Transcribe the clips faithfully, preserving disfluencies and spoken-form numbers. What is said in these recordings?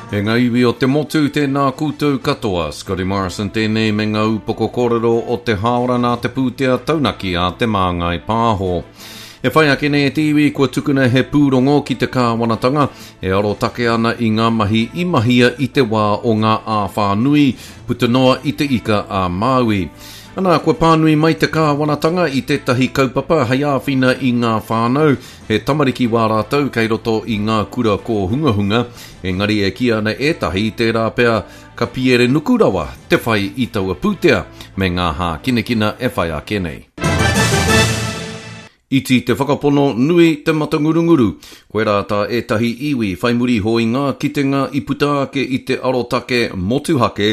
E ngā iwi o te motu, tēnā koutou katoa. Scotty Morrison tēnei me ngā upoko kōrero o te hāora nā te pūtea taunaki a Te Māngai Pāho. E whai ake nei e te iwi kua tukuna he pūrongo ki te kāwanatanga e arotake ana i ngā mahi i mahia i te wā o ngā āwhā nui puta noa i te ika a Māui. Ana, kua pānui mai te kāwanatanga i tētahi kaupapa hei āwhina i ngā whānau, he tamariki wā rātou kei roto i ngā kura kōhungahunga, engari e kī ana ētahi tērā pea ka piere nuku rawa te whai i taua pūtea me ngā hākinakina e whai ake nei. Iti te whakapono, nui te matangurunguru. Koirā tā ētahi iwi whai muri iho i ngā kitenga i puta ake i te arotake motuhake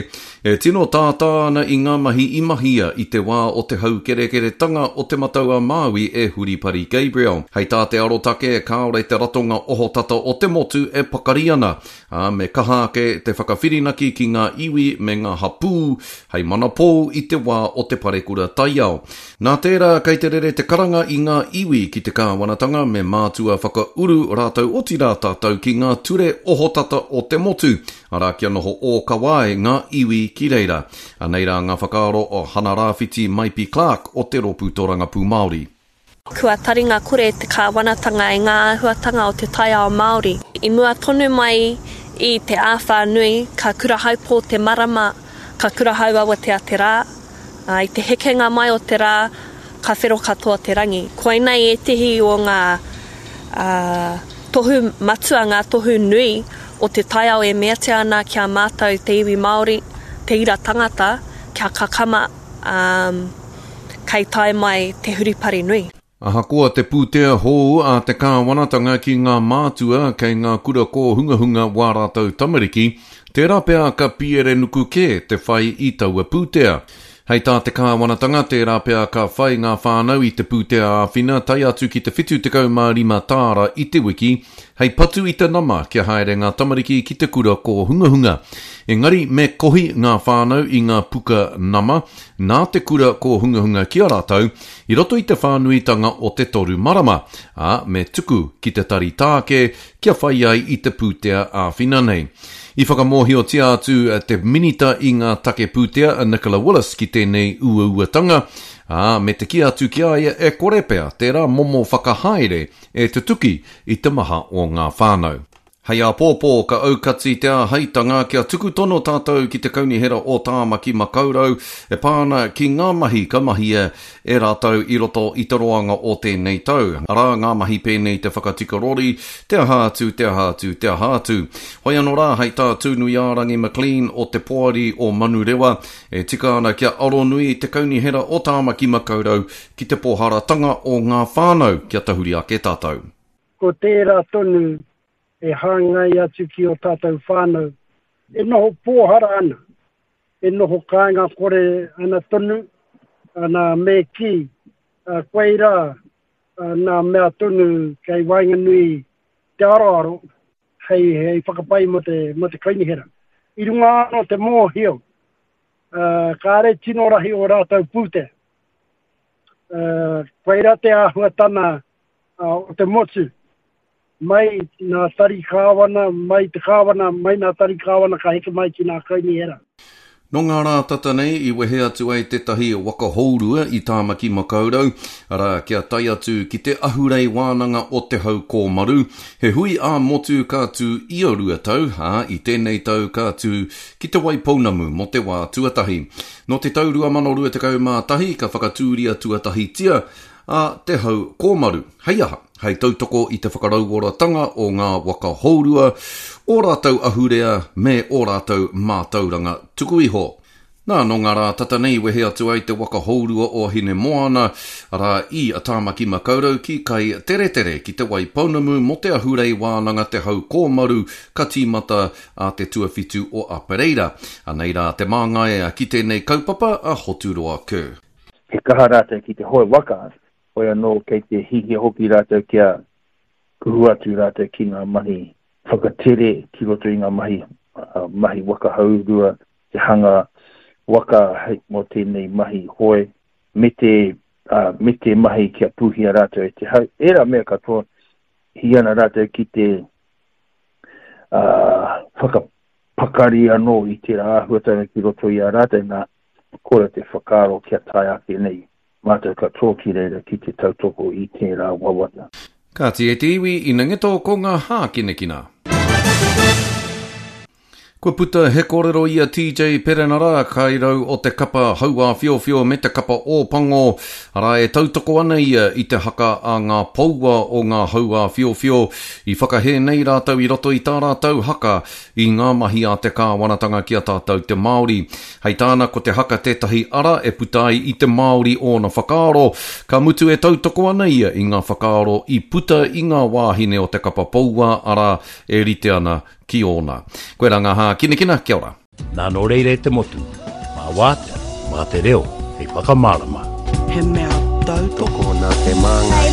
e tino tātā ana i ngā mahi i mahia i te wā o te haukerekeretanga o Te Matau-a-Māui e Huripari Gabriel. Hei tā te arotake, kāore te ratonga ohotata o te motu e pakari ana, ā, me kaha ake te whakawhirinaki ki ngā iwi me ngā hapū hei manapou i te wā o te parekura taiao. Nā tērā kei te rere te karanga i ngā iwi ki te kāwanatanga me mātua whakauru rātou otirā tātou ki ngā ture ohotata o te motu, arā kia noho ōkawa ai ngā iwi ki reira. Anei rā ngā whakaaro o Hana Rāwhiti Maipi Clark o te Rōpū Tōrangapū Māori. Kua taringa kore te kāwanatanga i ngā āhuatanga o te taiao Māori. I mua tonu mai i te āwhā nui, ka kurahaupō te marama, ka kurahauawatea te rā, ā, i te hekenga mai o te rā, ka whero katoa te rangi. Koinei ētehi o ngā tohu matua, ngā tohu nui o te taiao e meatia ana ki a mātou te iwi Māori, te ira tangata, kia kakama, ā, kei tae mai te huripari nui. Ahakoa te pūtea hou a te kāwanatanga ki ngā mātua kei ngā kura kōhungahunga wā rātou tamariki, tērā pea ka piere nuku kē te whai i taua pūtea. Hei tā te kāwanatanga, tērā pea ka whai ngā whānau i te pūtea āwhina tae atu ki te whitu tekau mā rima tāra i te wiki, hei patu i te nama kia haere ngā tamariki ki te kura kōhungahunga. Engari me kohi ngā whānau i ngā puka nama nā te kura kōhungahunga ki a rātou i roto i te whānuitanga o te toru marama, ā, me tuku ki te Tari Taake kia whai ai i te pūtea āwhina nei. I whakamōhiotia atu te Minita i ngā Take Pūtea a Nicola Willis ki tēnei uauatanga, ā, me te kī atu ki a ia e kore pea tērā momo whakahaere e tutuki i te maha o ngā whānau. Hei āpōpō ka aukati te āheitanga kia tuku tono tātou ki te Kaunihera o Tāmaki Makaurau e pā ana ki ngā mahi ka mahia e rātou i roto i te roanga o tēnei tau. Arā ngā mahi pēnei te whakatika rori, te aha atu, te aha atu, te aha atu. Hoi anō rā, hei tā Tūnuiārangi McLean o te Poari o Manurewa, e tika ana kia aronui te Kaunihera o Tāmaki Makaurau ki te pōharatanga o ngā whānau kia tahuri ake tātou. Ko tērā tonu e hāngai atu ki ō tātou whānau e noho pōhara ana, e noho kāinga kore ana tonu, ana me kī, koirā nā mea tonu kei waenganui te aroaro hei, hei whakapai mō te, mō te kaunihera. I runga anō te mōhio, kāre tino rahi ō rātou pūtea. Koirā te āhuatana o te motu. Mai nā tari kāwana, mai te kāwana, mai nā tari kāwana ka heke mai ki nā kaunihera. Nō ngā rā tata nei i wehe atu ai tētahi waka hourua i Tāmaki Makaurau, arā, kia tae atu ki te ahurei wānanga o Te Hau Kōmaru, he hui ā-motu ka tū ia rua tau, ā, i tēnei tau ka tū ki Te Waipounamu mō te wā tuatahi. Nō te tau rua mano rua tekau mā tahi ka whakatūria tuatahitia a Te Hau Kōmaru. Hei aha? Hei tautoko i te whakarauoratanga o ngā waka hourua, ō rātou ahurea me ō rātou mātauranga tuku iho. Nā, nō ngā rā tata nei i wehe atu ai te waka hourua o Hinemoana, arā, i Tāmaki Makaurau ki Kai Teretere, ki Te Waipounamu mō te ahurei wānanga Te Hau Kōmaru ka tīmata a te tuawhitu o Apereira. Anei rā te māngai ki tēnei kaupapa a Hoturoa Kerr. He kaha rātou ki te hoe waka, hoi anō kei te hihia hoki rātou kia kuhu atu rātou ki ngā mahi whakatere ki roto i ngā mahi, mahi waka hourua, te hanga waka hei mō tēnei mahi hoe, me te, me te mahi kia pūhia rātou e te hau. Ērā mea katoa, hī ana rātou ki te whaka, whakapakari anō i tērā āhuatanga ki roto i a rātou, nā, kore te whakaaro kia tae ake nei mātou katoa ki reira ki te tautoko i tērā wawata. Kāti e te iwi, ina ngeto ko ngā hākinakina. Kua puta he kōrero i a T J Perenara, kairau o te kapa Hauāwhiowhio me te kapa Ōpango, arā e tautoko ana ia i te haka a ngā poua o ngā Hauāwhiowhio. I whakahē nei rātou i roto i tā rātou haka i ngā mahi a te kāwanatanga ki a tātou te Māori. Hei tāna ko te haka tētahi ara e puta ai i te Māori ōna whakaaro, ka mutu e tautoko ana ia i ngā whakaaro i puta i ngā wāhine o te kapa poua, arā e rite ana ki ōna. Koirā ngā hākinakina, kia ora. Nā nō reira e te motu, mā wātea, mā te reo, hei whakamārama. He mea tautoko Tokona te māngai.